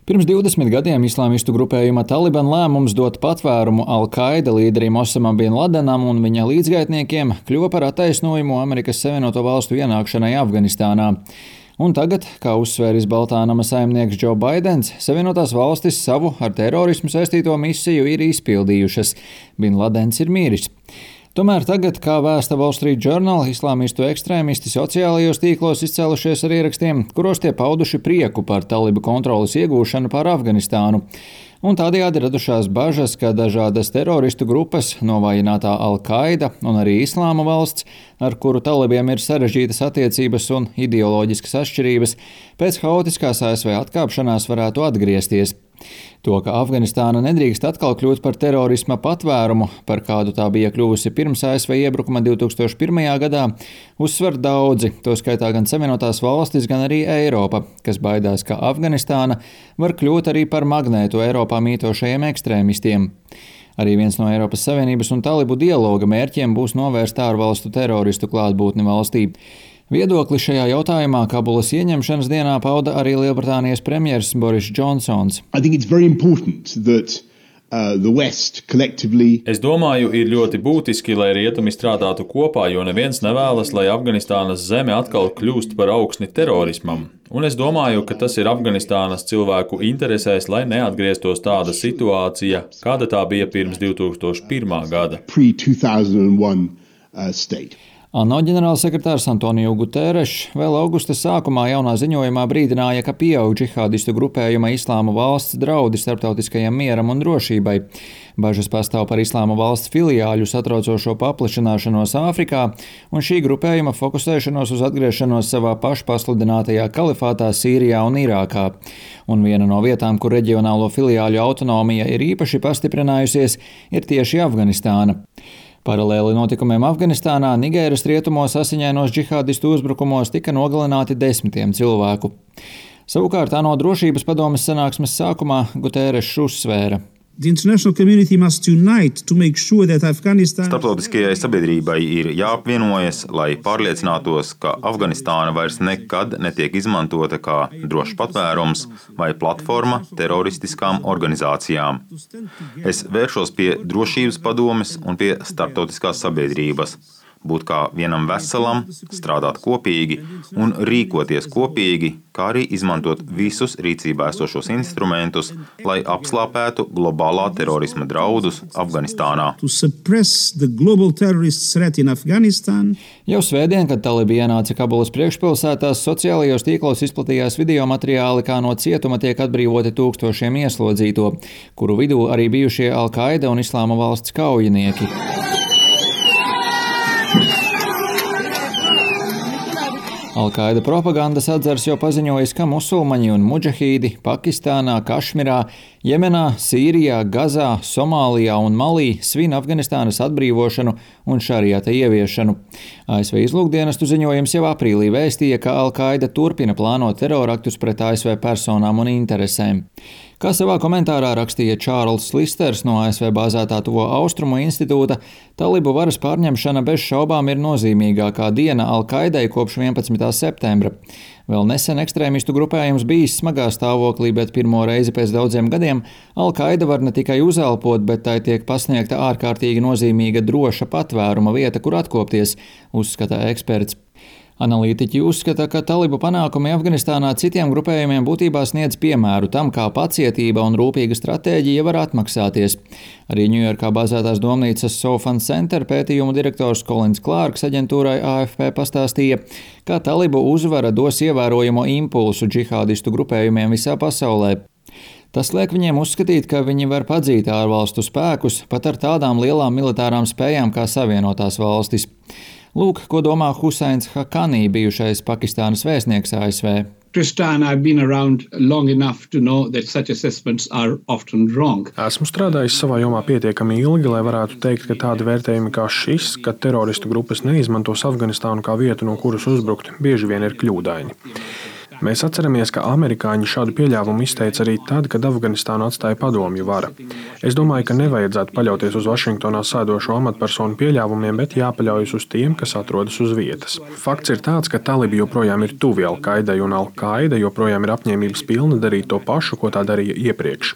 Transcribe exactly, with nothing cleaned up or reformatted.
Pirms divdesmit gadiem islāmistu grupējuma Taliban lēmums dot patvērumu Al-Qaida līderim Osamam bin Ladenam un viņa līdzgaitniekiem kļuva par attaisnojumu Amerikas Savienoto Valstu ienākšanai Afganistānā. Un tagad, kā uzsvēris Baltānama saimnieks Džo Baidens, Savienotās valstis savu ar terorismu saistīto misiju ir izpildījušas. Bin Ladens ir miris. Tomēr tagad, kā vēsta Wall Street Journal, islāmistu ekstrēmisti sociālajos tīklos izcēlušies ar ierakstiem, kuros tie pauduši prieku par talibu kontroles iegūšanu pār Afganistānu. Un tādējādi radušās bažas, ka dažādas teroristu grupas, novājinātā Al-Qaida un arī Islāma valsts, ar kuru talibiem ir sarežģītas attiecības un ideoloģiskas atšķirības, pēc haotiskās A S V atkāpšanās varētu atgriezties. To, ka Afganistāna nedrīkst atkal kļūt par terorisma patvērumu, par kādu tā bija kļuvusi pirms A S V iebrukuma divi tūkstoši pirmajā gadā, uzsver daudzi, to skaitā gan Savienotās valstis, gan arī Eiropa, kas baidās, ka Afganistāna var kļūt arī par magnētu Eiropā mītošajiem ekstrēmistiem. Arī viens no Eiropas Savienības un talibu dialoga mērķiem būs novērst ārvalstu teroristu klātbūtni valstī. Viedokli šajā jautājumā Kabulas ieņemšanas dienā pauda arī Lielbritānijas premjers Boris Džonsons. Es domāju, ir ļoti būtiski, lai rietumi strādātu kopā, jo neviens nevēlas, lai Afganistānas zeme atkal kļūst par augsni terorismam. Un es domāju, ka tas ir Afganistānas cilvēku interesēs, lai neatgrieztos tāda situācija, kāda tā bija pirms divi tūkstoši pirmā gada. ANO ģenerālsekretārs Antonio Guterres vēl augusta sākumā jaunā ziņojumā brīdināja, ka pieaug džihādistu grupējuma Islāma valsts draudi starptautiskajam mieram un drošībai. Bažas pastāv par Islāma valsts filiāļu satraucošo paplašināšanos Āfrikā un šī grupējuma fokusēšanos uz atgriešanos savā pašpasludinātajā kalifātā Sīrijā un Irākā. Un viena no vietām, kur reģionālo filiāļu autonomija ir īpaši pastiprinājusies, ir tieši Afganistāna. Paralēli notikumiem Afganistānā, Nigēras rietumos asiņainos džihādistu uzbrukumos tika nogalināti desmitiem cilvēku. Savukārt ANO drošības padomes sanāksmes sākumā Guterres uzsvēra. Starptautiskajai sabiedrībai ir jāapvienojas, lai pārliecinātos, ka Afganistāna vairs nekad netiek izmantota kā drošs patvērums vai platforma teroristiskām organizācijām. Es vēršos pie drošības padomes un pie starptautiskās sabiedrības. Būt kā vienam veselam, strādāt kopīgi un rīkoties kopīgi, kā arī izmantot visus rīcībā esošos instrumentus, lai apslāpētu globālā terorisma draudus Afganistānā. Jau svētdien, kad talibi ienāca Kabulas priekšpilsētās, sociālajos tīklos izplatījās video materiāli, kā no cietuma tiek atbrīvoti tūkstošiem ieslodzīto, kuru vidū arī bijušie Al-Qaida un Islāma valsts kaujinieki. Al-Qaida propagandas atzars jau paziņojis, ka musulmaņi un mudžahīdi Pakistānā, Kašmirā, Jemenā, Sīrijā, Gazā, Somālijā un Malī svin Afganistānas atbrīvošanu un šariata ieviešanu. A S V izlūkdienestu ziņojums jau aprīlī vēstīja, ka Al-Qaida turpina plānot teroraktus pret A S V personām un interesēm. Kā savā komentārā rakstīja Čārls Listers no A S V bāzētā Tuvo Austrumu institūta, talibu varas pārņemšana bez šaubām ir nozīmīgākā diena Al-Qaidai kopš vienpadsmitā septembra. Vēl nesen ekstrēmistu grupējums bijis smagā stāvoklī, bet pirmo reizi pēc daudziem gadiem Al-Qaida var ne tikai uzelpot, bet tai tiek pasniegta ārkārtīgi nozīmīga droša patvēruma vieta, kur atkopties, uzskata eksperts. Analītiķi uzskata, ka talibu panākumi Afganistānā citiem grupējumiem būtībā sniedz piemēru tam, kā pacietība un rūpīga stratēģija var atmaksāties. Arī Ņujorkā bāzētās domnīcas Sofan Center pētījumu direktors Kolins Klārks aģentūrai A F P pastāstīja, ka talibu uzvara dos ievērojamo impulsu džihādistu grupējumiem visā pasaulē. Tas liek viņiem uzskatīt, ka viņi var padzīt ārvalstu spēkus pat ar tādām lielām militārām spējām kā Savienotās valstis. Lūk, ko domā Husains Haqqani, bijušais Pakistānas vēstnieks A S V. Esmu strādājis savā jomā pietiekami ilgi, lai varētu teikt, ka tādi vērtējumi kā šis, ka teroristu grupas neizmantos Afganistānu kā vietu, no kuras uzbrukt, bieži vien ir kļūdaini. Mēs atceramies, ka amerikāņi šādu pieļāvumu izteica arī tad, kad Afganistānu atstāja padomju vara. Es domāju, ka nevajadzētu paļauties uz Vašingtonā sēdošo amatpersonu pieļāvumiem, bet jāpaļaujas uz tiem, kas atrodas uz vietas. Fakts ir tāds, ka talibi joprojām ir tuvi Al-Qaidai, un Al-Qaida joprojām ir apņēmības pilna darīt to pašu, ko tā darīja iepriekš.